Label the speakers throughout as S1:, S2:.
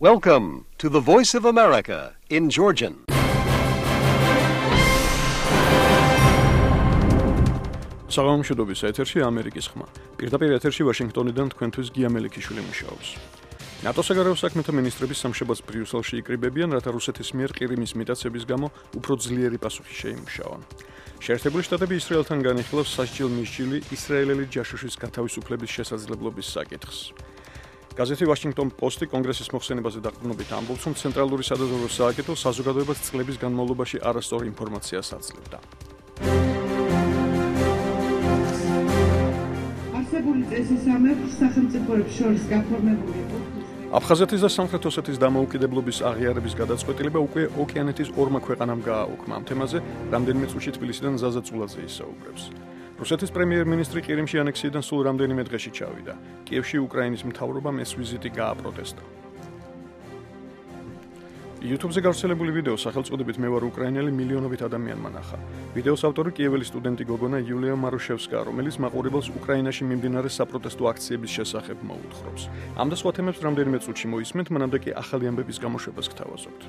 S1: Welcome to the Voice of America in Georgian.
S2: საღამომშვიდობის ეთერში ამერიკის ხმა. პირდაპირ ეთერში ვაშინგტონიდან თქვენთვის გია მელიქიშვილი მუშაობს. ნატოს საგარეო საქმეთა მინისტრების სამშაბათს ბრიუსელში იკრიბებიან, რათა რუსეთის მიერ ყირიმის მიტაცების გამო უფრო ძლიერი პასუხი შეიმუშაონ. შეერთებული შტატები ისრაელთან განიხილავს სასჯელ-მისჯილი ისრაელელი ჯაშუშის გათავისუფლების შესაძლებლობის საკითხს. გაზეთი Washington Post-ი კონგრესის მოხსენებაზე დაყრდნობით ამბობს, რომ ცენტრალური სადაზვერვო სააგენტო საზოგადოებას წლების განმავლობაში არასწორ ინფორმაციას აძლევდა.
S3: არსებული წესისამებრ სახელმწიფოებს შორის გაფორმებული იყო
S2: აფხაზეთის და სამხრეთ ოსეთის დამოუკიდებლობის აღიარების გადაწყვეტილება უკვე ოკეანეთის ორმა ქვეყანამ გააუქმა. ამ თემაზე რამდენიმე წუთში თბილისიდან ზაზა წულაძე ისაუბრებს. რუსეთის პრემიერ-მინისტრი ყირიმში ანექსიიდან სულ რამდენიმე დღეში ჩავიდა. კიევში უკრაინის მთავრობამ ეს ვიზიტი გააპროტესტა. YouTube-ზე გავრცელებული ვიდეო სახელწოდებით მე ვარ უკრაინელი მილიონობით ადამიანმა ნახა. ვიდეოს ავტორი კიეველი სტუდენტი გოგონა იულია მარუშევსკა, რომელიც მაყურებელს უკრაინაში მიმდინარე საპროტესტო აქციების შესახებ მოუთხრობს. ამ და სხვა თემებს რამდენიმე წუთში მოისმენთ, მანამდე კი ახალი ამბების გამოშვებას გთავაზობთ.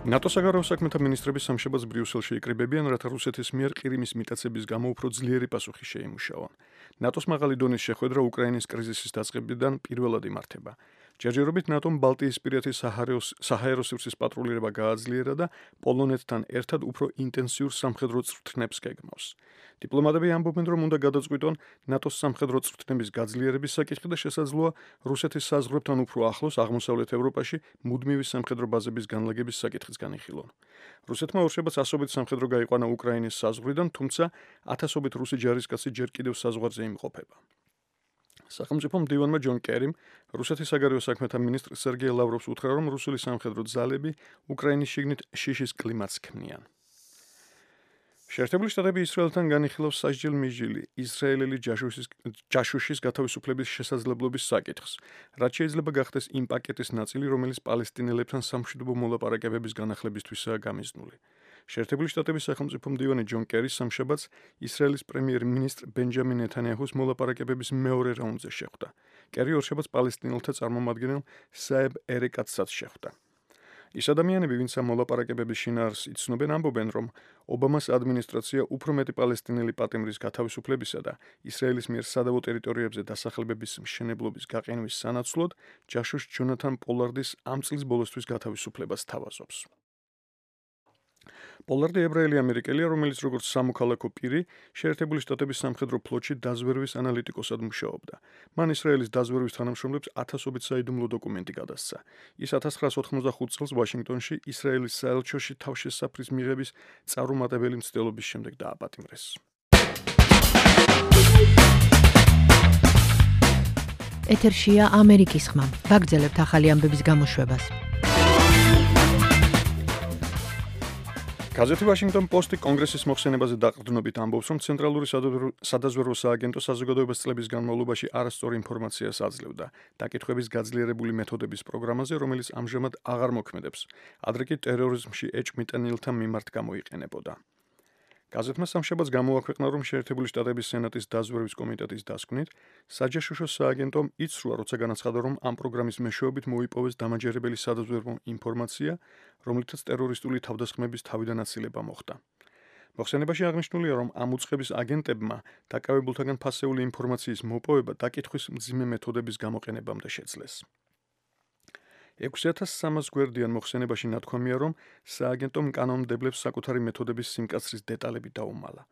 S2: ნატოს საგარეო საქმეთა მინისტრების სამშაბათს ბრიუსელში იკრიბებიან, რათა რუსეთის მიერ ყირიმის მიტაცების გამო უფრო ძლიერი პასუხი შეიმუშაონ. ნატოს მაღალი დონის შეხვედრა უკრაინის კრიზისის დაწყებიდან პირველად იმართება. ჯერჯერობით ნატომ ბალტიისპირეთის საჰაერო სივრცის პატრულირება გააძლიერა და პოლონეთთან ერთად უფრო ინტენსიურ სამხედრო წვრთნებს გეგმავს. დიპლომატები ამბობენ, რომ უნდა გადაწყვიტონ ნატოს სამხედრო წვრთნების გაძლიერების საკითხი და შესაძლოა რუსეთის საზღვრებთან უფრო ახლოს აღმოსავლეთ ევროპაში მუდმივი სამხედრო ბაზების განლაგების საკითხიც განიხილონ. რუსეთმა ორშაბათს ასობით სამხედრო გაიყვანა უკრაინის საზღვრიდან, თუმცა ათასობით რუსი ჯარისკაცი ჯერ კიდევ საზღვარზე იმყოფება. სახელმწიფო მდივანმა ჯონ კერიმ რუსეთის საგარეო საქმეთა მინისტრ სერგეი ლავროვს უთხრა, რომ რუსული სამხედრო ძალები უკრაინის შიგნით შიშის კლიმატს ქმნიან. შეერთებული შტატები ისრაელთან განიხილავს სასჯელ-მისჯილი ისრაელელი ჯაშუშის გათავისუფლების შესაძლებლობის საკითხს, რაც შეიძლება გახდეს იმ პაკეტის ნაწილი, რომელიც პალესტინელებთან სამშვიდობო მოლაპარაკებების განახლებისთვისაა გამიზნული. შეერთებული შტატების სახელმწიფო მდივანი ჯონ კერი სამშაბათს ისრაელის პრემიერ-მინისტრ ბენჯამინ ნეთანიაჰუს მოლაპარაკებების მეორე რაუნდზე შეხვდა. კერი ორშაბათს პალესტინელთა წარმომადგენელ საებ ერეკატსაც შეხვდა. ის ადამიანები, ვინც ამ მოლაპარაკებების შინაარსს იცნობენ, ამბობენ, რომ ობამას ადმინისტრაცია უფრო მეტი პალესტინელი პატიმრის გათავისუფლებისა და ისრაელის მიერ სადავო ტერიტორიებზე დასახლებების მშენებლობის გაყენვის სანაცვლოდ ჯაშუშ ჯონათან პოლარდის ამ წლის ბოლოსთვის გათავისუფლებას თავაზობს. პოლარდი ებრაელი ამერიკელია, რომელიც როგორც სამოქალაქო პირი შეერთებული შტატების სამხედრო ფლოტში დაზვერვის ანალიტიკოსად მუშაობდა. მან ისრაელის დაზვერვის თანამშრომლებს ათასობით საიდუმლო დოკუმენტი გადასცა. ის 1985 წელს ვაშინგტონში ისრაელის საელჩოში თავშესაფრის მიღების წარუმატებელი მცდელობის შემდეგ დააპატიმრეს.
S4: ეთერშია ამერიკის ხმა. ვაგრძელებთ ახალი ამბების გამოშვებას.
S2: გაზეთი Washington Post-ი კონგრესის მოხსენებაზე დაყრდნობით ამბობს, რომ ცენტრალური სადაზვერვო სააგენტო საზოგადოებას წლების განმავლობაში არასწორ ინფორმაციას აძლევდა დაკითხვების გაძლიერებული მეთოდების პროგრამაზე, რომელიც ამჟამად აღარ მოქმედებს, ადრე კი ტერორიზმში ეჭვმიტანილთა მიმართ გამოიყენებოდა. გაზეთმა სამშაბათს გამოაქვეყნა, რომ შეერთებული შტატების სენატის დაზვერვის კომიტეტის დასკვნით, საჯაშუშო სააგენტომ იცრუა, როცა განაცხადა, რომ ამ პროგრამის მეშვეობით მოიპოვეს დამაჯერებელი სადაზვერვო ინფორმაცია, რომლითაც ტერორისტული თავდასხმების თავიდან აცილება მოხდა. მოხსენებაში აღნიშნულია, რომ ამ უწყების აგენტებმა დაკავებულთაგან ფასეული ინფორმაციის მოპოვება დაკითხვის მძიმე მეთოდების გამოყენებამდე შეძლეს. 6300 გვერდიან მოხსენებაში ნათქვამია, რომ სააგენტომ კანონმდებლებს საკუთარი მეთოდების სიმკაცრის დეტალები დაუმალა.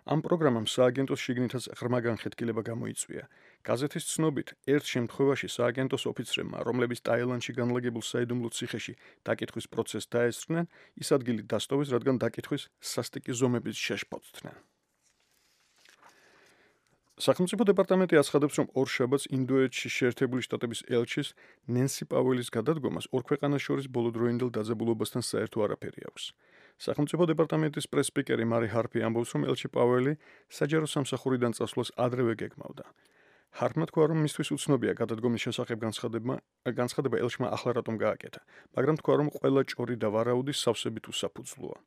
S2: ამ პროგრამამ სააგენტოს შიგნითაც ღრმა განხეთქილება გამოიწვია. გაზეთის ცნობით, ერთ შემთხვევაში სააგენტოს ოფიცრებმა, რომლებიც ტაილანდში განლაგებულ საიდუმლო ციხეში დაკითხვის პროცესს დაესწრნენ, ის ადგილი დასტოვეს, რადგან დაკითხვის სასტიკი ზომების შეშფოთდნენ. სახელმწიფო დეპარტამენტი აცხადებს, რომ ორშაბათს ინდოეთში შეერთებული შტატების ელჩის ნენსი პაუელის გადადგომას ორ ქვეყანას შორის ბოლოდროინდელ დაძაბულობასთან საერთო არაფერი აქვს. სახელმწიფო დეპარტამენტის პრეს-სპიკერი მარი ჰარპი ამბობს, რომ ელჩი პაუელი საჯარო სამსახურიდან წასვლას ადრევე გეგმავდა. ჰარპმა თქვა, რომ მისთვის უცნობია გადადგომის შესახებ განცხადება ელჩმა ახლა რატომ გააკეთა, მაგრამ თქვა, რომ ყველა ჭორი და ვარაუდი სავსებით უსაფუძვლოა.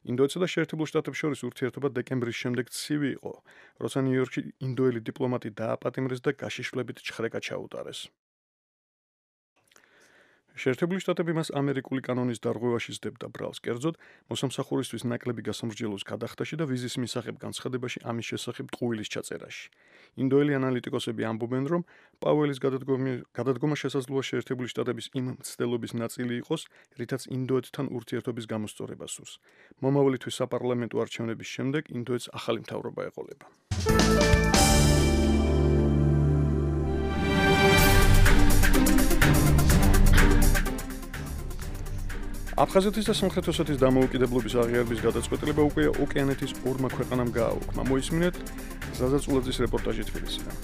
S2: ინდოეთსა და შეერთებულ შტატებს შორის ურთიერთობა დეკემბრის შემდეგ ცივი იყო, როცა ნიუ-იორკში ინდოელი დიპლომატი დააპატიმრეს და გაშიშვლებით ჩხრეკა ჩაუტარეს. შეერთებული შტატები მას ამერიკული კანონის დარღვევაში სდებდა ბრალს, კერძოდ მოსამსახურისთვის ნაკლები გასამრჯელოს გადახდაში და ვიზის მისაღებ განცხადებაში ამის შესახებ ტყუილის ჩაწერაში. ინდოელი ანალიტიკოსები ამბობენ, რომ პაუელის გადადგომა შესაძლოა შეერთებული შტატების იმ მცდელობის ნაწილი იყოს, რითაც ინდოეთთან ურთიერთობის გამოსწორება სურს. მომავალი თვის საპარლამენტო არჩევნების შემდეგ ინდოეთს ახალი მთავრობა ეყოლება. აფხაზეთის და სამხრეთ ოსეთის დამოუკიდებლობის აღიარების გადაწყვეტილება უკვე ოკეანეთის ორმა ქვეყანამ გააუქმა. მოისმინეთ ზაზაწულაძის რეპორტაჟი თბილისიდან.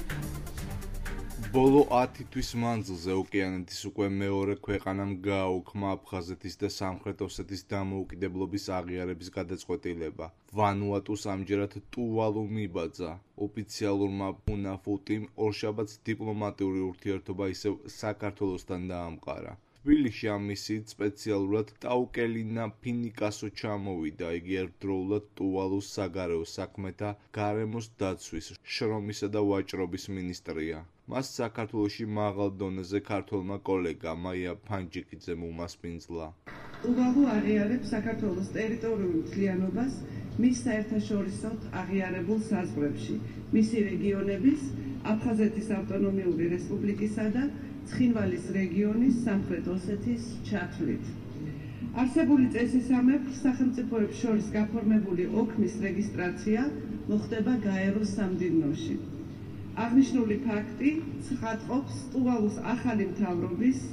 S5: ბოლო 10 თვის მანძილზე ოკეანეთის უკვე მეორე ქვეყანამ გააუქმა აფხაზეთის და სამხრეთ ოსეთის დამოუკიდებლობის აღიარების გადაწყვეტილება. ვანუატუს ამჯერად ტუვალუ მიბაძა. ოფიციალურმა ფუნაფუტიმ ორშაბათს დიპლომატიური ურთიერთობა ისევ საქართველოსთან დაამყარა. თბილისში ამ მისიით სპეციალურად ტაუკელინა ფინიკასო ჩამოვიდა. იგი ერთდროულად ტუვალუს საგარეო საქმეთა, გარემოს დაცვის, შრომისა და ვაჭრობის მინისტრია. მას საქართველოში მაღალ დონეზე ქართველმა კოლეგა მაია ფანჯიკიძემ უმასპინძლა.
S3: ტუვალუ აღიარებს საქართველოს ტერიტორიულ მთლიანობას მის საერთაშორისოდ აღიარებულ საზღვრებში, მისი რეგიონების, აფხაზეთის ავტონომიური რესპუბლიკისა და ცხინვალის რეგიონის სამხრეთ ოსეთის ჩათვლით. არსებული წესისამებრ სახელმწიფოებს შორის გაფორმებული ოქმის რეგისტრაცია მოხდება გაეროს სამდივნოში. აღნიშნული ფაქტი ცხადყოფს ტუვალუს ახალი მთავრობის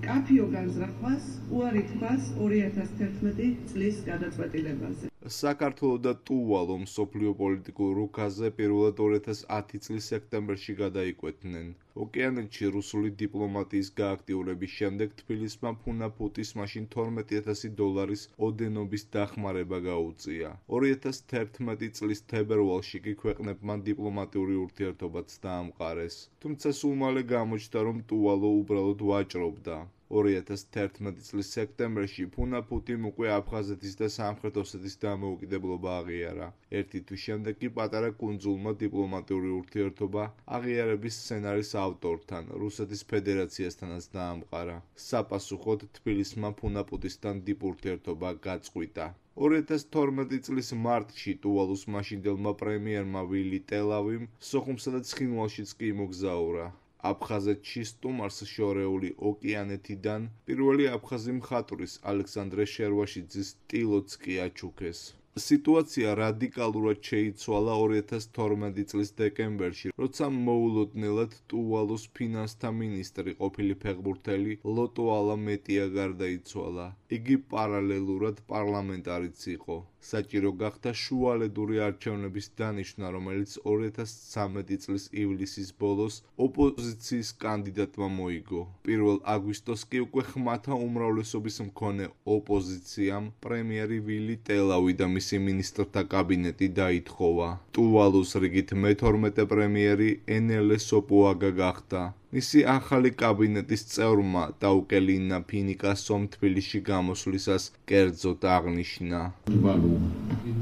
S3: კაფიო განზრახვას უარი თქვას 2011 წლის გადაწყვეტილებაზე.
S5: საქართველო და ტუვალუ მსოფლიო პოლიტიკურ რუქაზე პირველად 2010 წლის სექტემბერში გადაიკვეთნენ. ოკეანეთში რუსული დიპლომატიის გააქტიურების შემდეგ თბილისმა ფუნაფუტის მაშინ $12,000 ოდენობის დახმარება გაუწია. 2011 წლის თებერვალში კი ქვეყნებმა დიპლომატიური ურთიერთობაც დაამყარეს. თუმცა სულ მალე გამოჩნდა, რომ ტუვალუ უბრალოდ ვაჭრობდა. 2011 წლის სექტემბერში ფუნაფუტიმ უკვე აფხაზეთის და სამხრეთ ოსეთის დამოუკიდებლობა აღიარა. ერთი თვის შემდეგ კი პატარა კუნძულმა დიპლომატიური ურთიერთობა აღიარების სცენარის ავტორთან, რუსეთის ფედერაციასთანაც დაამყარა. საპასუხოდ თბილისმა ფუნაფუტისთან დიპურთიერთობა გაწყვიტა. 2012 წლის მარტში ტუვალუს მაშინდელმა პრემიერმა ვილი ტელავიმ სოხუმსა და ცხინვალშიც კი იმოგზაურა. აფხაზეთში სტუმარს შორეული ოკეანეთიდან პირველი აფხაზი მხატვრის ალექსანდრე შერვაშიძის ტილოც კი აჩუქეს. სიტუაცია რადიკალურად შეიცვალა 2012 წლის დეკემბერში, როცა მოულოდნელად ტუვალუს ფინანსთა მინისტრი ყოფილი ფეხბურთელი ლოტო ალა მეტია გარდაიცვალა. იგი პარალელურად პარლამენტარიც იყო. საჭირო გახდა შუალედური არჩევნების დანიშვნა, რომელიც 2013 წლის ივლისის ბოლოს ოპოზიციის კანდიდატმა მოიგო. 1 აგვისტოს კი უკვე ხმათა უმრავლესობის მქონე ოპოზიციამ პრემიერი ვილი ტელავი და მისი მინისტრთა კაბინეტი დაითხოვა. ტუვალუს რიგით მე-12 პრემიერი ენელე სოპუაგა გახდა. მისი ახალი კაბინეტის წევრმა ტაუკელინა ფინიკასომ თბილისში გამოსვლისას კერძოდ აღნიშნა.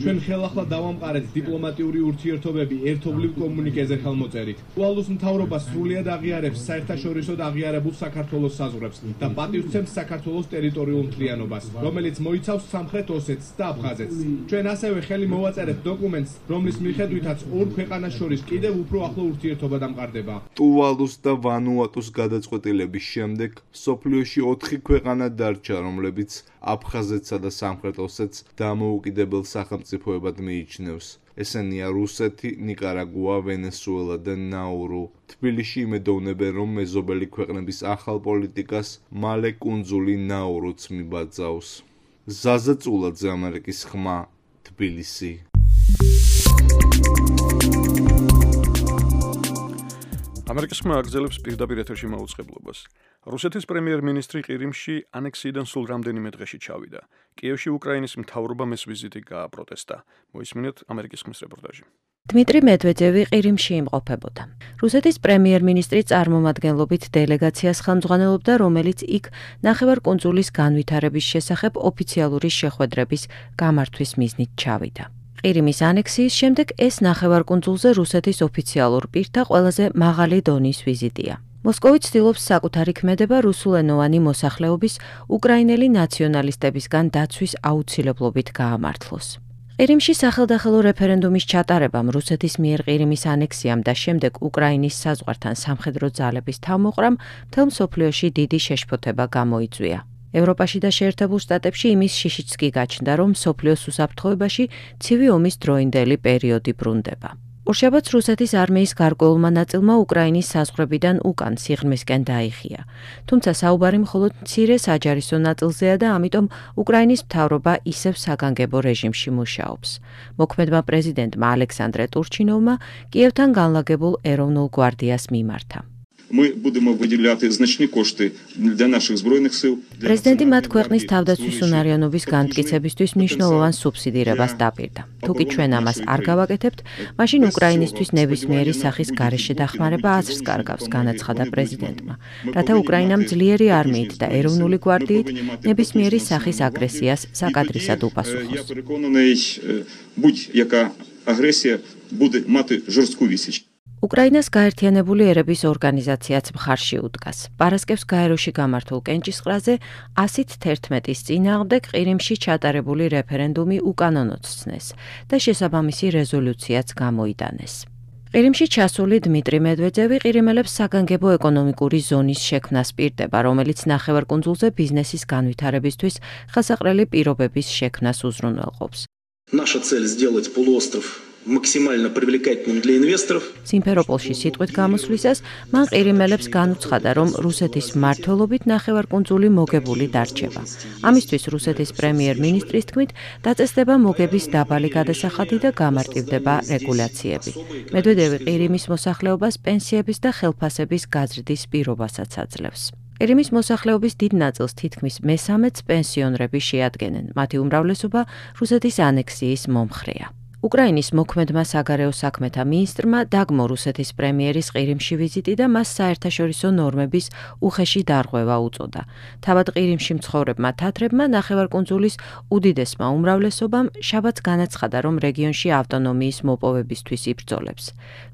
S6: ჩვენ ხელახლა დავამყარეთ დიპლომატიური ურთიერთობები ერთობლივ კომუნიკეზე ხელმოწერით. ტუვალუს მთავრობა სრულად აღიარებს საერთაშორისოდ აღიარებულ საქართველოს საზღვრებს და პატივცემს საქართველოს ტერიტორიულ მთლიანობას, რომელიც მოიცავს სამხრეთ ოსეთს და აფხაზეთს. ჩვენ ასევე ხელი მოვაწერეთ დოკუმენტს, რომლის მიხედვითაც ორ ქვეყანას შორის კიდევ უფრო ახლო ურთიერთობა დამყარდება.
S5: ტუვალუს და ვანუატუს გადაწყვეტილების შემდეგ მსოფლიოში 4 ქვეყანა დარჩა, რომლებიც აფხაზეთსა და სამხრეთ ოსეთს დამოუკიდებელ სახელმწიფოებად მიიჩნევს. ესენია რუსეთი, ნიკარაგუა, ვენესუელა და ნაურუ. თბილისში იმედოვნებენ, რომ მეზობელი ქვეყნების ახალ პოლიტიკას მალე კუნძული ნაურუც მიბაძავს. ზაზაწულაძე, ამერიკის ხმა, თბილისი.
S2: ამერიკის ხმა აგრძელებს პირდაპირ ეთერში მაუწყებლობას. რუსეთის პრემიერ-მინისტრი ყირიმში ანექსიიდან სულ რამდენიმე დღეში ჩავიდა. კიევში უკრაინის მთავრობამ ეს ვიზიტი გააპროტესტა. მოისმინეთ ამერიკის ხმის რეპორტაჟი.
S4: დმიტრი მედვედევი ყირიმში იმყოფებოდა. რუსეთის პრემიერ-მინისტრი წარმომადგენლობით დელეგაციას ხელმძღვანელობდა, რომელიც იქ ნახევარკუნძულის განვითარების შესახებ ოფიციალური შეხვედრების გამართვის მიზნით ჩავიდა. ყირიმის ანექსიის შემდეგ ეს ნახევარკუნძულზე რუსეთის ოფიციალურ პირთა ყველაზე მაღალი დონის ვიზიტია. მოსკოვი ცდილობს საკუთარი ქმედება რუსულენოვანი მოსახლეობის უკრაინელი ნაციონალისტებისგან დაცვის აუცილებლობით გაამართლოს. ყირიმში სახელდახელო რეფერენდუმის ჩატარებამ, რუსეთის მიერ ყირიმის ანექსიამ და შემდეგ უკრაინის საზღვართან სამხედრო ძალების თავმოყრამ მთელ მსოფლიოში დიდი შეშფოთება გამოიწვია. ევროპაში და შეერთებულ შტატებში იმის შიშიც კი გაჩნდა, რომ მსოფლიოს უსაფრთხოებაში ცივი ომის დროინდელი პერიოდი ბრუნდება. ორშაბათს რუსეთის არმიის გარკვეულმა ნაწილმა უკრაინის საზღვრებიდან უკან სიღრმისკენ დაიხია. თუმცა საუბარი მხოლოდ მცირე საჯარისო ნაწილზეა და ამიტომ უკრაინის მთავრობა ისევ საგანგებო რეჟიმში მუშაობს. მოქმედმა პრეზიდენტმა ალექსანდრე ტურჩინოვმა კიევთან განლაგებულ ეროვნულ გვარდიას მიმართა.
S7: Ми будемо виділяти значні кошти для наших збройних сил.
S4: პრეზიდენტი მათ ქვეყნის თავდაცვის უნარიანობის განმტკიცებისთვის მნიშვნელოვან სუბსიდირებას დაპირდა. თუკი ჩვენ ამას არ გავაკეთებთ, მაშინ უკრაინისთვის ნებისმიერი სახის გარეშე დახმარება აზრს კარგავს, განაცხადა პრეზიდენტმა, რათა უკრაინამ ძლიერი არმიით და ეროვნული გვარდიით ნებისმიერი სახის აგრესიას საკადრისად უპასუხოს.
S7: Я переконаний, будь-яка агресія буде мати жорстку відсіч.
S4: უკრაინას გაერთიანებული ერების ორგანიზაციაც მხარში უდგას. პარასკევს გაეროში გამართულ კენჭისყრაზე 111-ის წინააღმდეგ ყირიმში ჩატარებული რეფერენდუმი უკანონოდ ცნეს და შესაბამისი რეზოლუციაც გამოიტანეს. ყირიმში ჩასული დმიტრი მედვედევი ყირიმელებს საგანგებო ეკონომიკური ზონის შექმნას პირდება, რომელიც ნახევარკუნძულზე ბიზნესის განვითარებისთვის ხელსაყრელი პირობების შექმნას უზრუნველყოფს.
S8: Наша цель сделать полуостров максимально привлекательным для инвесторов.
S4: სიმფეროპოლში სიტყვით გამოსვლისას მან ყირიმელებს განუცხადა, რომ რუსეთის მმართველობით ნახევარკუნძული მოგებული დარჩება. ამისთვის რუსეთის პრემიერ-მინისტრის თქმით, დაწესდება მოგების დაბალი გადასახადი და გამარტივდება რეგულაციები. მედვედევი ყირიმის მოსახლეობას პენსიების და ხელფასების გაზრდის პირობასაც აძლევს. ყირიმის მოსახლეობის დიდ ნაწილს თითქმის მესამედს პენსიონრები შეადგენენ. მათი უმრავლესობა რუსეთის ანექსიის მომხრეა. უკრაინის მოქმედმა საგარეო საქმეთა მინისტრმა დაგმო რუსეთის პრემიერის ყირიმში ვიზიტი და მას საერთაშორისო ნორმების უხეში დარღვევა უწოდა. თავად ყირიმში მცხოვრებმა თათრებმა ნახევარკუნძულის უდიდესმა უმრავლესობამ შაბათს განაცხადა, რომ რეგიონში ავტონომიის მოპოვებისთვის იბრძოლებს.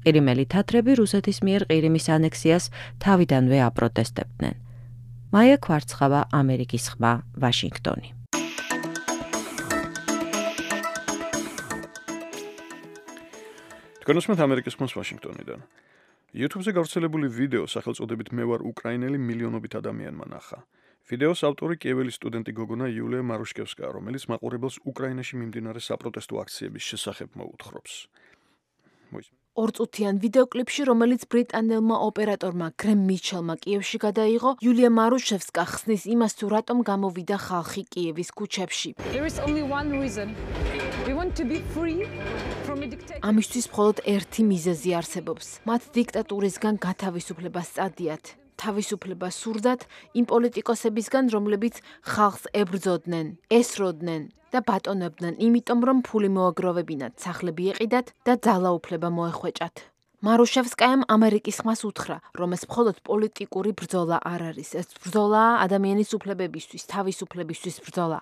S4: ყირიმელი თათრები რუსეთის მიერ ყირიმის ანექსიას თავიდანვე აპროტესტებდნენ. მაია კვარცხავა, ამერიკის ხმა, ვაშინგტონი.
S2: განსმით ამერიკის ხმას ვაშინგტონიდან. YouTube-ზე გავრცელებული ვიდეო სახელწოდებით მე ვარ უკრაინელი მილიონობით ადამიანმა ნახა. ვიდეოს ავტორი კიეველის სტუდენტი გოგონა იულია მარუშკევსკა, რომელიც მაყურებელს უკრაინაში მიმდინარე საპროტესტო აქციების შესახებ მოუთხრობს.
S9: ორწუთიან ვიდეოკლიპში, რომელიც ბრიტანელმა ოპერატორმა გრემ მიჩელმა კიევში გადაიღო, იულია მარუშევსკა ხსნის იმას, თუ რატომ გამოვიდა ხალხი კიევის ქუჩებში. ამისთვის მხოლოდ ერთი მიზეზი არსებობს. მათ დიქტატურისგან გათავისუფლებას წადიათ. თავისუფლებას სურდათ იმ პოლიტიკოსებისგან, რომლებიც ხალხს ებრძოდნენ, ესროდნენ და ბატონებდნენ, იმიტომ რომ ფული მოაგროვებინათ, სახლები ეყიდათ და ძალაუფლება მოეხვეჭათ. მარუშევსკაამ ამერიკის ხმას უთხრა, რომ ეს მხოლოდ პოლიტიკური ბრძოლა არ არის, ეს ბრძოლაა ადამიანის უფლებებისთვის, თავისუფლებისთვის ბრძოლა.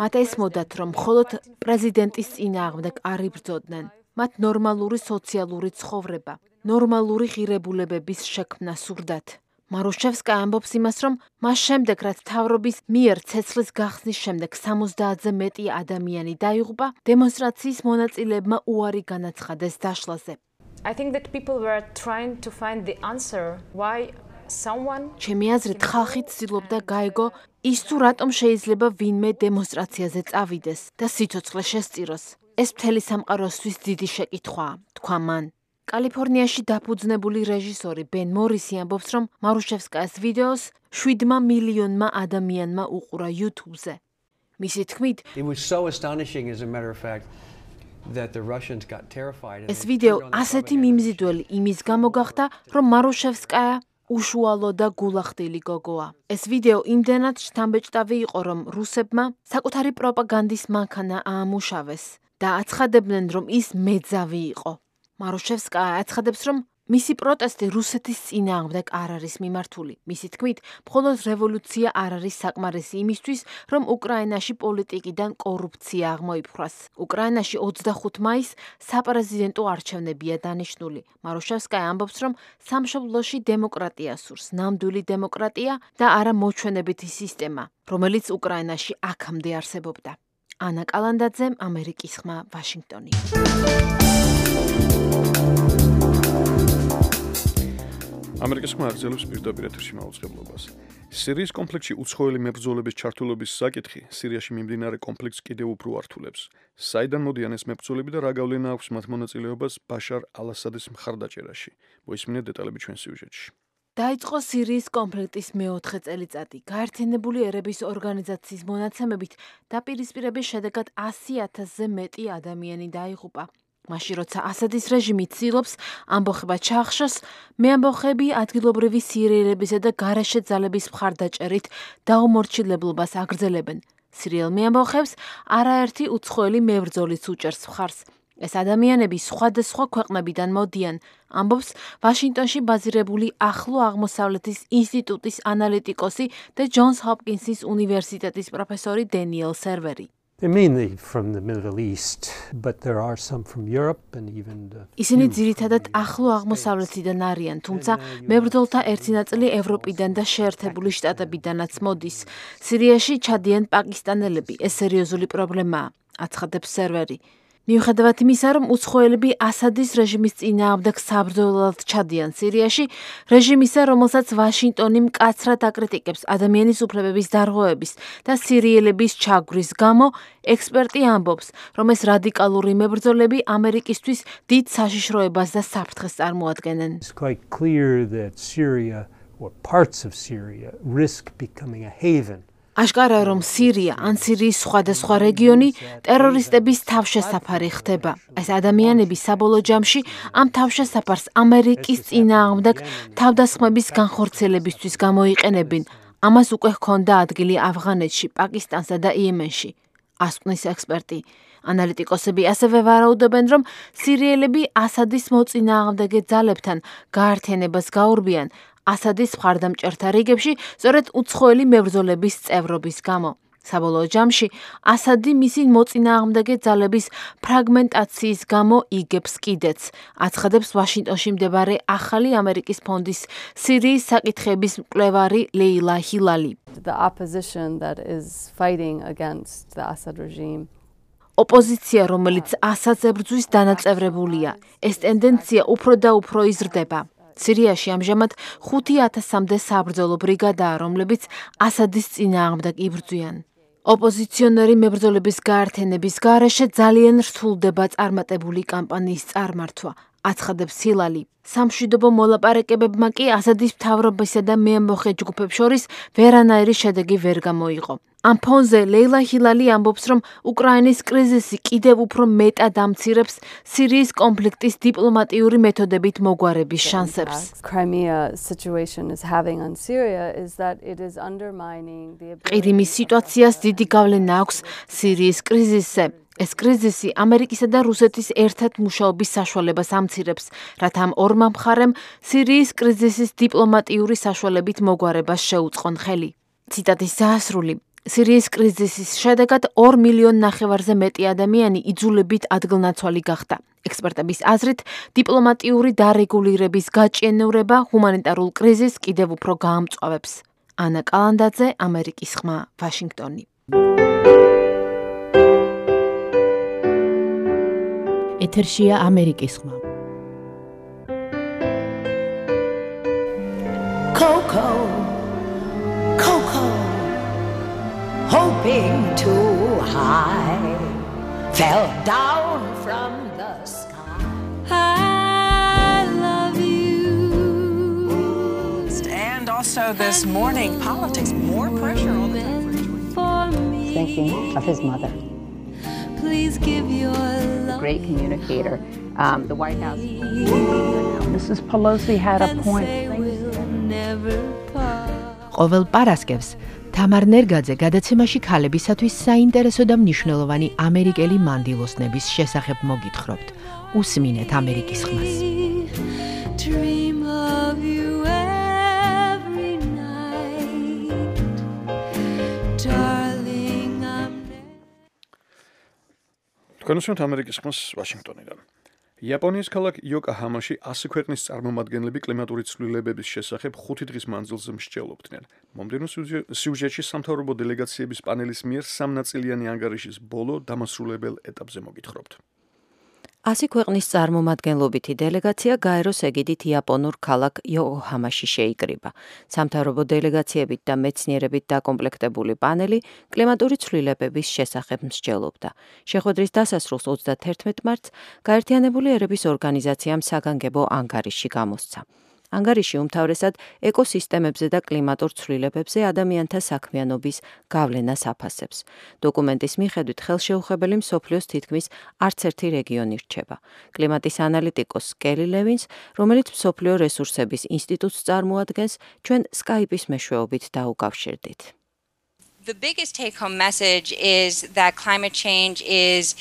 S9: მათ ესმოდათ, რომ მხოლოდ პრეზიდენტის წინააღმდეგ არ იბრძოდნენ. მათ ნორმალური სოციალური ცხოვრება, ნორმალური ღირებულებების შექმნა სურდათ. მარუშევსკა ამბობს იმას, რომ მას შემდეგ, რაც მთავრობის მიერ ცეცხლის გახსნის შემდეგ 70-ზე მეტი ადამიანი დაიღუპა, დემონსტრაციის მონაწილეებმა უარი განაცხადეს დაშლაზე. ჩემი აზრით, ხალხი ცდილობდა გაეგო ის თუ რატომ შეიძლება ვინმე დემონსტრაციაზე წავიდეს და სიცოცხლე შესწიროს. ეს მთელი სამყაროსთვის დიდი შეკითხვაა, თქვა მან. კალიფორნიაში დაფუძნებული რეჟისორი ბენ მორისი ამბობს, რომ მარუშევსკაის ვიდეოს 7 მილიონმა ადამიანმა უყურა YouTube-ზე. მისი თქმით, ეს ვიდეო ასეთი მიმზიდველი იმის გამო გახდა, რომ მარუშევსკაია უშუალო და გულახდილი გოგოა. ეს ვიდეო იმდენად შთამბეჭდავი იყო, რომ რუსებმა საკუთარი პროპაგანდის მანქანა აამუშავეს და აცხადებდნენ, რომ ის მეძავი იყო. მარუშევსკაია აცხადებს, რომ მისი პროტესტი რუსეთის წინააღმდეგ არ არის მიმართული. მისი თქმით, მხოლოდ რევოლუცია არ არის საკმარისი იმისთვის, რომ უკრაინაში პოლიტიკიდან კორუფცია აღმოიფხვრას. უკრაინაში 25 მაისს საპრეზიდენტო არჩევნებია დანიშნული. მარუშევსკაია ამბობს, რომ სამშობლოში დემოკრატია სურს, ნამდვილი დემოკრატია და არა მოჩვენებითი სისტემა, რომელიც უკრაინაში აქამდე არსებობდა. ანა კალანდაძე, ამერიკის ხმა, ვაშინგტონი.
S2: ამერიკის ხმა აგრძელებს პირდაპირ ეთერში მაუწყებლობას. სირიის კონფლიქტში უცხოელი მებრძოლების ჩართულობის საკითხი სირიაში მიმდინარე კონფლიქტს კიდევ უფრო ართულებს. საიდან მოდიან ეს მებრძოლები და რა გავლენა აქვს მათ მონაწილეობას ბაშარ ალ-ასადის მხარდაჭერაში? მოისმინეთ დეტალები ჩვენ სიუჟეტში.
S9: დაიწყო სირიის კონფლიქტის მეოთხე წელიწადი. გაერთიანებული ერების ორგანიზაციის მონაცემებით დაპირისპირების შედეგად 100,000-ზე მეტი ადამიანი დაიღუპა. მაშინ როცა ასადის რეჟიმი ცდილობს ამბოხება ჩაახშოს, მეამბოხები ადგილობრივი სირიელებისა და გარეშე ძალების მხარდაჭერით დაუმორჩილებლობას აგრძელებენ. სირიელ მეამბოხებს არაერთი უცხოელი მებრძოლიც უჭერს მხარს. ეს ადამიანები სხვადასხვა ქვეყნებიდან მოდიან, ამბობს ვაშინგტონში ბაზირებული ახლო აღმოსავლეთის ინსტიტუტის ანალიტიკოსი და ჯონს ჰოპკინსის უნივერსიტეტის პროფესორი დენიელ სერვერი.
S10: They're mainly from the Middle East, but there are some from Europe and even
S9: ისინი ძირითადად ახლო აღმოსავლეთიდან არიან, თუმცა მებრძოლთა ერთი ნაწილი ევროპიდან და შეერთებული შტატებიდანაც მოდის. სირიაში ჩადიან პაკისტანელები, ეს სერიოზული პრობლემაა, აცხადებს სერვერი. მიუხედავად იმისა, რომ უცხოელები ასადის რეჟიმის წინააღმდეგ საბრძოლველად ჩადიან სირიაში, რეჟიმისა, რომელსაც ვაშინგტონი მკაცრად აკრიტიკებს ადამიანის უფლებების დარღვევების და სირიელების ჩაგვრის გამო, ექსპერტი ამბობს, რომ ეს რადიკალური მებრძოლები ამერიკისთვის დიდ საშიშროებას და საფრთხეს წარმოადგენენ.
S10: It's quite clear that Syria or parts of Syria risk becoming a haven.
S9: აშკარაა, რომ სირია ან სირიის სხვადასხვა რეგიონი ტერორისტების თავშესაფარი ხდება. ეს ადამიანები საბოლოო ჯამში ამ თავშესაფარს ამერიკის წინააღმდეგ თავდასხმების განხორციელებისთვის გამოიყენებენ. ამას უკვე ჰქონდა ადგილი ავღანეთში, პაკისტანსა და იემენში, ასკვნის ექსპერტი. ანალიტიკოსები ასევე ვარაუდობენ, რომ სირიელები ასადის მოწინააღმდეგე ძალებთან გაერთიანებას გაურბიან ასადის მხარდამჭერთა რიგებში, სწორედ უცხოელი მებრძოლების წევრობის გამო. საბოლოო ჯამში ასადი მისი მოწინააღმდეგე ძალების ფრაგმენტაციის გამო იგებს კიდეც, აცხადებს ვაშინგტონში მდებარე ახალი ამერიკის ფონდის სირიის საკითხების მკვლევარი ლეილა ჰილალი.
S11: The opposition that is fighting against the Assad regime.
S9: ოპოზიცია, რომელიც ასადს ებრძვის, დანაწევრებულია. ეს ტენდენცია უფრო და უფრო იზრდება. სირიაში ამჟამად 5,000-მდე საბრძოლო ბრიგადაა, რომლებიც ასადის წინააღმდეგ იბრძვიან. ოპოზიციონერი მებრძოლების გაერთიანების გარეშე ძალიან რთულდება წარმატებული კამპანიის წარმართვა, აცხადებს ჰილალი. სამშვიდობო მოლაპარაკებებმა კი ასადის მთავრობისა და მეამბოხე ჯგუფებს შორის ვერანაირი შედეგი ვერ გამოიღო. ამ ფონზე ლეილა ჰილალი ამბობს, რომ უკრაინის კრიზისი კიდევ უფრო მეტად ამცირებს სირიის კონფლიქტის დიპლომატიური მეთოდებით მოგვარების შანსებს. ყირიმის სიტუაციას დიდი გავლენა აქვს სირიის კრიზისზე. ეს კრიზისი ამერიკისა და რუსეთის ერთად მუშაობის საშუალებას ამცირებს, რათა ამ ორმა მხარემ სირიის კრიზისის დიპლომატიური საშუალებით მოგვარებას შეუწყონ ხელი. ციტატის დაასრული. სირიის კრიზისის შედეგად 2,5 მილიონზე მეტი ადამიანი იძულებით ადგილნაცვალი გახდა. ექსპერტების აზრით, დიპლომატიური დარეგულირების გაჭიანურება ჰუმანიტარულ კრიზისს კიდევ უფრო გაამწვავებს. ანა კალანდაძე, ამერიკის ხმა, ვაშინგტონი.
S4: ეთერშია ამერიკის ხმა.
S12: Coco, Coco, hoping too high, fell down from the sky. I love you.
S13: And also this morning, politics, more pressure on the
S14: thinking of his mother.
S12: Please give your love.
S14: Great communicator. The White House.
S15: Mrs. Pelosi had a point.
S12: never part.
S15: ყოველ პარასკევს თამარ ნერგაძე გადაცემაში ქალებისათვის საინტერესო და მნიშვნელოვანი ამერიკელი მანდილოსნების შესახებ მოგითხრობთ. უსმინეთ ამერიკის ხმას.
S12: Dream of you every night. Darling, I'm
S2: თქვენ უსმენთ ამერიკის ხმას ვაშინგტონიდან. იაპონიის ქალაქ იოკოჰამაში 100 ქვეყნის წარმომადგენლები კლიმატური ცვლილებების შესახებ 5 დღის მანძილზე მსჯელობდნენ. მომდევნო სიუჟეტში სამთავრობო დელეგაციების პანელის მიერ სამნაწილიანი ანგარიშის ბოლო დამასრულებელ ეტაპზე მოგითხრობთ.
S4: 100 ქვეყნის წარმომადგენლობითი დელეგაცია გაეროს ეგიდით იაპონურ ქალაქ იოკოჰამაში შეიკრიბა. სამთავრობო დელეგაციებით და მეცნიერებით დაკომპლექტებული პანელი კლიმატური ცვლილებების შესახებ მსჯელობდა. შეხვედრის დასასრულს 31 მარტს გაერთიანებული ერების ორგანიზაციამ საგანგებო ანგარიში გამოსცა. ანგარიში უმთავრესად ეკოსისტემებზე და კლიმატურ ცვლილებებზე ადამიანთა საქმიანობის გავლენას აფასებს. დოკუმენტის მიხედვით ხელშეუხებელი მსოფლიოს თითქმის არც ერთი რეგიონი რჩება. კლიმატის ანალიტიკოს კელი ლევინს, რომელიც მსოფლიო რესურსების ინსტიტუტს წარმოადგენს, ჩვენ Skype-ის მეშვეობით დაუკავშირდით.
S16: The biggest take-home message is that climate change is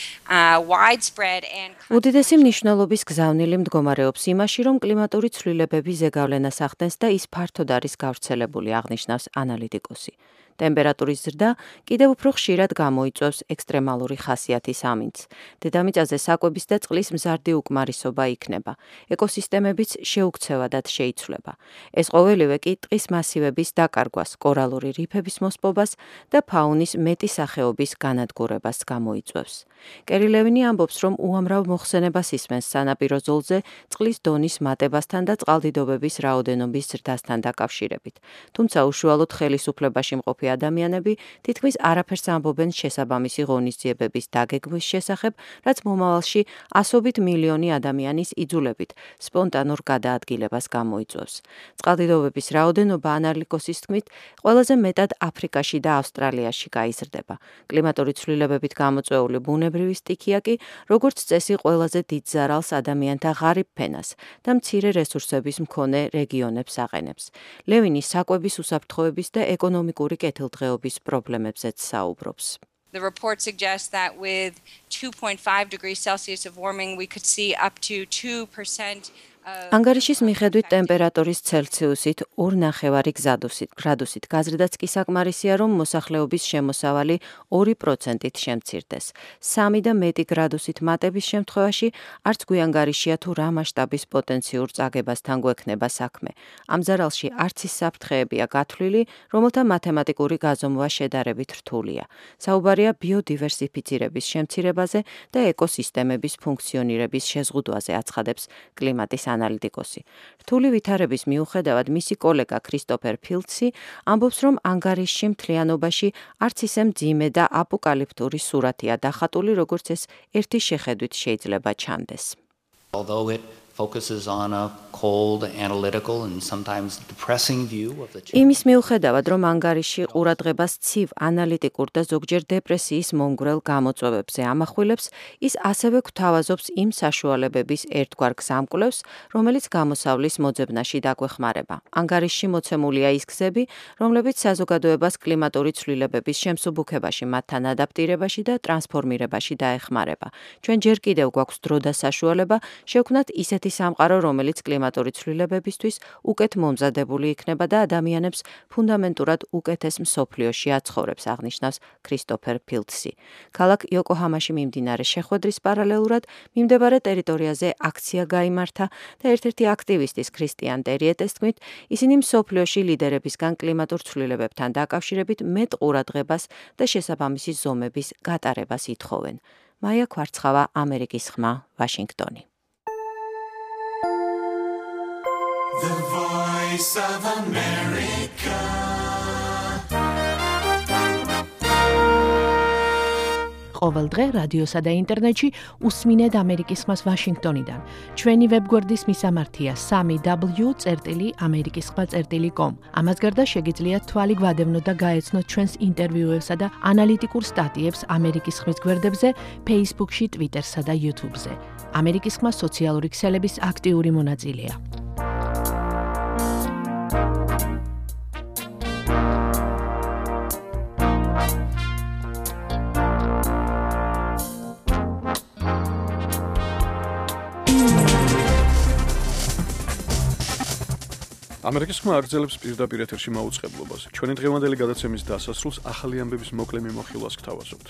S16: widespread and
S4: უდიდესი მნიშვნელობის გზავნილი მდგომარეობს იმაში, რომ კლიმატური ცვლილებები ზეგავლენას ახდენს და ის ფართოდ არის გავრცელებული, აღნიშნავს ანალიტიკოსი. ტემპერატურის ზრდა კიდევ უფრო ხშირად გამოიწვევს ექსტრემალური ხასიათის ამინდს. დედამიწაზე საკვების და წყლის მზარდი უკმარისობა იქნება. ეკოსისტემებიც შეუქცევადად შეიცვლება. ეს ყოველივე კი ტყის მასივების დაკარგვას, კორალური რიფების მოსპობას და ფაუნის მეტი სახეობის განადგურებას გამოიწვევს. კერი ლევინი ამბობს, რომ უამრავ მოხსენებას ისმენს სანაპირო ზოლზე წყლის დონის მატებასთან და წყალდიდობების რაოდენობის ზრდასთან დაკავშირებით. თუმცა უშუალოდ ხელისუფლებაში მყოფი ადამიანები თითქმის არაფერს ამბობენ შესაბამისი ღონისძიებების დაგეგმვის შესახებ, რაც მომავალში ასობით მილიონი ადამიანის იძულებით სპონტანურ გადაადგილებას გამოიწვევს. წყალდიდობების რაოდენობა ანალიტიკოსის თქმით, ყველაზე მეტად აფრიკაში და ავსტრალიაში გაიზრდება. კლიმატური ცვლილებებით გამოწვეული ბუნებრივი სტიქია კი, როგორც წესი, ყველაზე დიდ ზარალს ადამიანთა ღარიბ ფენას და მცირე რესურსების მქონე რეგიონებს აყენებს. ლევინი საკვების უსაფრთხოების და ეკონომიკური კეთილდღეობის პრობლემებზეც საუბრობს.
S16: The report suggests that with 2.5 degrees Celsius of warming we could see up to 2%
S4: ანგარიშის მიხედვით ტემპერატურის ცელსიუსით 2.5 გრადუსით გაზრდაც კი საკმარისია, რომ მოსახლეობის შემოსავალი 2%-ით შემცირდეს. 3 და მეტი გრადუსით მატების შემთხვევაში არც გვიანგარიშია თუ რა მასშტაბის პოტენციურ წაგებასთან გვექნება საქმე. ამ ზარალში არც ის საფრთხეებია გათვლილი, რომელთა მათემატიკური გაზომვა შედარებით რთულია. საუბარია ბიოდივერსიფიცირების შემცირებაზე და ეკოსისტემების ფუნქციონირების შეზღუდვაზე, აცხადებს კლიმატის ანალიტიკოსი. რთული ვითარების მიუხედავად მისი კოლეგა ქრისტოფერ ფილდსი ამბობს, რომ ანგარიშში მთლიანობაში არც ისე მძიმე და აპოკალიფტური სურათია დახატული, როგორც ეს ერთი შეხედვით შეიძლება ჩანდეს.
S17: Although it focuses on a cold, analytical and sometimes depressing view of the change.
S4: იმის მიუხედავად, რომ ანგარიში ყურადღებას ცივ, ანალიტიკურ და ზოგჯერ დეპრესიის მომგვრელ გამოწვევებზე ამახვილებს, ის ასევე გვთავაზობს იმ საშუალებების ერთგვარ გზამკვლევს, რომელიც გამოსავლის მოძებნაში დაგვეხმარება. ანგარიშში მოცემულია ის გზები, რომლებიც საზოგადოებას კლიმატური ცვლილებების შემსუბუქებაში, მათთან ადაპტირებაში და ტრანსფორმირებაში დაეხმარება. ჩვენ ჯერ კიდევ გვაქვს დრო და საშუალება შევქმნათ ისეთი სამყარო, რომელიც კლიმატური ცვლილებებისთვის უკეთ მომზადებული იქნება და ადამიანებს ფუნდამენტურად უკეთეს მსოფლიოში აცხოვრებს, აღნიშნავს ქრისტოფერ ფილდსი. ქალაქ იოკოჰამაში მიმდინარე შეხვედრის პარალელურად მიმდებარე ტერიტორიაზე აქცია გაიმართა და ერთ-ერთი აქტივისტის ქრისტიან ტერიეტეს თქმით, ისინი მსოფლიოში ლიდერებისგან კლიმატურ ცვლილებებთან დაკავშირებით მეტ ყურადღებას და შესაბამისი ზომების გატარებას ითხოვენ. მაია ქვარცხავა, ამერიკის ხმა, ვაშინგტონი.
S12: The Voice of America.
S15: ყოველ დღე რადიოსა და ინტერნეტში უსმინეთ ამერიკის ხმას ვაშინგტონიდან. ჩვენი ვებგვერდის მისამართია 3w.amerikiskhma.com. ამას გარდა შეგიძლიათ თვალი გვადევნოთ და გაეცნოთ ჩვენს ინტერვიუებსა და ანალიტიკურ სტატიებს ამერიკის ხმის გვერდებზე, Facebook-ში, Twitter-სა და YouTube-ზე. ამერიკის ხმა სოციალური ქსელების აქტიური მონაწილეა.
S2: ამერიკის ხმა აგრძელებს პირდაპირ ეთერში მაუწყებლობას. ჩვენი დღევანდელი გადაცემის დასასრულს ახალი ამბების მოკლე მიმოხილვას გთავაზობთ.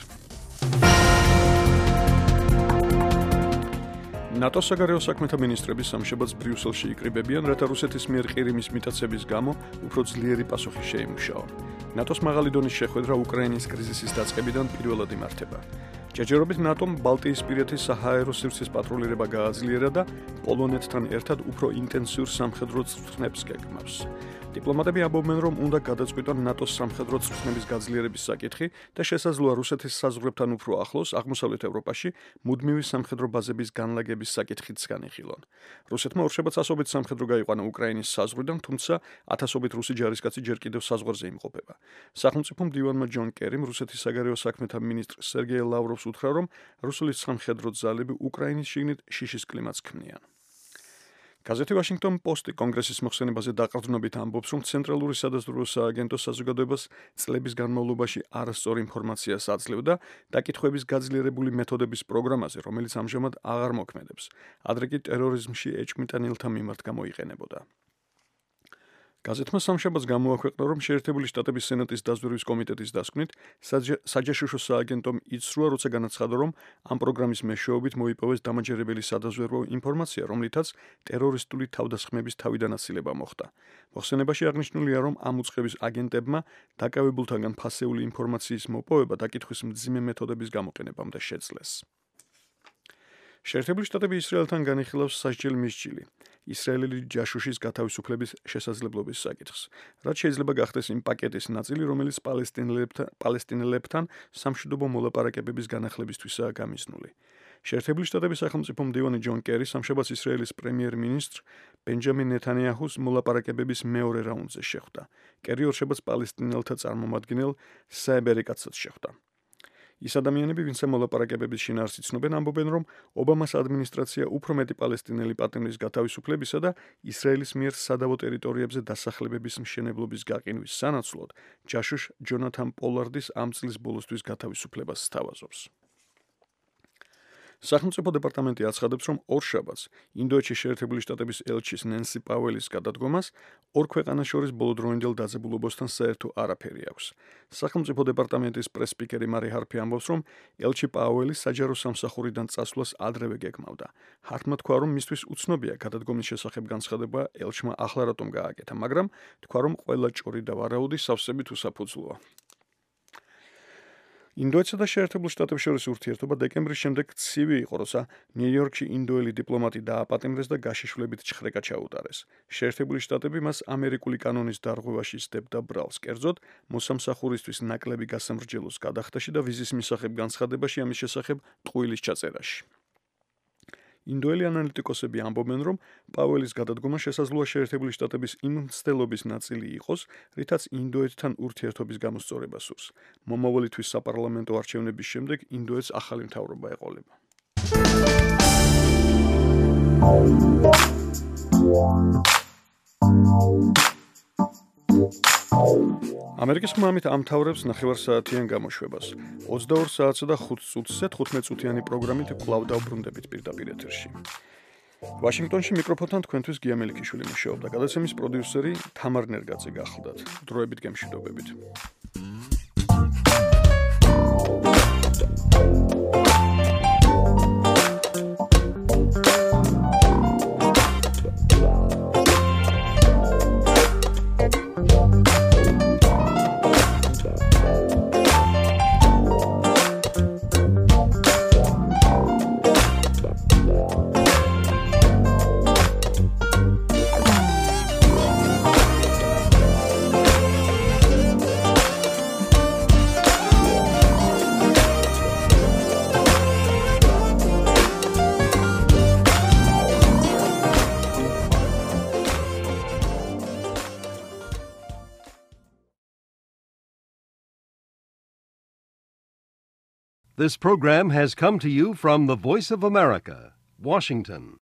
S2: ნატოს საგარეო საქმეთა მინისტრები სამშაბათს ბრიუსელში იკრიბებიან, რათა რუსეთის მიერ ყირიმის მიტაცების გამო უფრო ძლიერი პასუხი შეიმუშაონ. ნატოს მაღალი დონის შეხვედრა უკრაინის კრიზისის დაწყებიდან პირველად იმართება. ჯერჯერობით ნატომ ბალტიისპირეთის საჰაერო სივრცის პატრულირება გააძლიერა და პოლონეთთან ერთად უფრო ინტენსიურ სამხედრო წვრთნებს გეგმავს. დიპლომატები ამბობენ, რომ უნდა გადაწყვიტონ ნატოს სამხედრო წვრთნების გაძლიერების საკითხი და შესაძლოა რუსეთის საზღვრებთან უფრო ახლოს აღმოსავლეთ ევროპაში მუდმივი სამხედრო ბაზების განლაგების საკითხიც განიხილონ. რუსეთმა ორშაბათს ასობით სამხედრო გაიყვანა უკრაინის საზღვრიდან, თუმცა ათასობით რუსი ჯარისკაცი ჯერ კიდევ საზღვარზე იმყოფება. სახელმწიფო მდივანმა ჯონ კერიმ რუსეთის საგარეო საქმეთა მინისტრ სერგეი ლავროვს უთხრა, რომ რუსული სამხედრო ძალები უკრაინის შიგნით შიშის კლიმატს ქმნიან. გაზეთი Washington Post კონგრესის მოხსენებაზე დაყრდნობით ამბობს, რომ ცენტრალური სადაზვერვო სააგენტო საზოგადოებას წლების განმავლობაში არასწორ ინფორმაციას აძლევდა დაკითხვების გაძლიერებული მეთოდების პროგრამაზე, რომელიც ამჟამად აღარ მოქმედებს. ადრე კი ტერორიზმში ეჭვმიტანილთა მიმართ გამოიყენებოდა. გაზეთმა სამშაბათს გამოაქვეყნა, რომ შეერთებული შტატების სენატის დაზვერვის კომიტეტის დასკვნით საჯაშუშო სააგენტომ იცრუა, როცა განაცხადა, რომ ამ პროგრამის მეშვეობით მოიპოვეს დამაჯერებელი სადაზვერვო ინფორმაცია, რომლითაც ტერორისტული თავდასხმების თავიდანაცილება მოხდა. მოხსენებაში აღნიშნულია, რომ ამ უწყების აგენტებმა დაკავებულთაგან ფასეული ინფორმაციის მოპოვება დაკითხვის მძიმე მეთოდების გამოყენებამდე შეძლეს. შეერთებული შტატები ისრაელთან განიხილავს სასჯელ მისჯილი. ისრაელელი ჯაშუშის გათავისუფლების შესაძლებლობის საკითხს, რაც შეიძლება გახდეს იმ პაკეტის ნაწილი, რომელიც პალესტინელებთან სამშვიდობო მოლაპარაკებების განახლებისთვისაა გამიზნული. შეერთებული შტატების სახელმწიფო მდივანი ჯონ კერი სამშაბათს ისრაელის პრემიერ-მინისტრ ბენჯამინ ნეთანიაჰუს მოლაპარაკებების მეორე რაუნდზე შეხვდა. კერი ორშაბათს პალესტინელთა წარმომადგენელ საებ ერიკაცსაც შეხვდა. ის ადამიანები, ვინც მოლაპარაკებების შინაარსს იცნობენ, ამბობენ, რომ ობამას ადმინისტრაცია უფრო მეტი პალესტინელი პარტნიორის გათავისუფლებისა და ისრაელის მიერ სადავო ტერიტორიებზე დასახლებების მშენებლობის გაყინვის სანაცვლოდ ჯაშუშ ჯონათან პოლარდის ამ წლის ბოლოსთვის გათავისუფლებას სთავაზობს. სახელმწიფო დეპარტამენტი აცხადებს, რომ ორშაბათს ინდოეთში შეერთებული შტატების ელჩის ნენსი პაუელის გადადგომას ორ ქვეყანას შორის ბოლოდროინდელ დაძაბულობასთან საერთო არაფერი აქვს. სახელმწიფო დეპარტამენტის პრეს-სპიკერი მარი ჰარფი ამბობს, რომ ელჩი პაუელი საჯარო სამსახურიდან წასვლას ადრევე გეგმავდა. ჰარტმა თქვა, რომ მისთვის უცნობია გადადგომის შესახებ განცხადება ელჩმა ახლა რატომ გააკეთა, მაგრამ თქვა, რომ ყველა ჭორი და ვარაუდი სავსებით უსაფუძვლოა. ინდოეთსა და შეერთებულ შტატებს შორის ურთიერთობა დეკემბრის შემდეგ ცივი იყო, როცა ნიუ-იორკში ინდოელი დიპლომატი დააპატიმრეს და გაშიშვლებით ჩხრეკა ჩაუტარეს. შეერთებული შტატები მას ამერიკული კანონის დარღვევაში სდებდა ბრალს, კერძოდ მოსამსახურისთვის ნაკლები გასამრჯელოს გადახდაში და ვიზის მისაღებ განცხადებაში ამის შესახებ ტყუილის ჩაწერაში. ინდოელი ანალიტიკოსები ამბობენ, რომ პაუელის გადადგომა შესაძლოა შეერთებული შტატების იმ მცდელობის ნაწილი იყოს, რითაც ინდოეთთან ურთიერთობის გამოსწორება სურს. მომავალი თვის საპარლამენტო არჩევნების შემდეგ ინდოეთს ახალი მთავრობა ეყოლება. ამერიკის ხმამით ამთავრებს ნახევარსაათიან გამოშვებას. 22 საათსა და 5 წუთზე 15 წუთიანი პროგრამით კვლავ დავბრუნდებით პირდაპირ ეთერში. ვაშინგტონში მიკროფონთან თქვენთვის გია მელიქიშვილი მუშაობდა. გადაცემის პროდიუსერი თამარ ნერგაძე გახლდათ. დროებით გემშვიდობებით.
S1: This program has come to you from the Voice of America, Washington.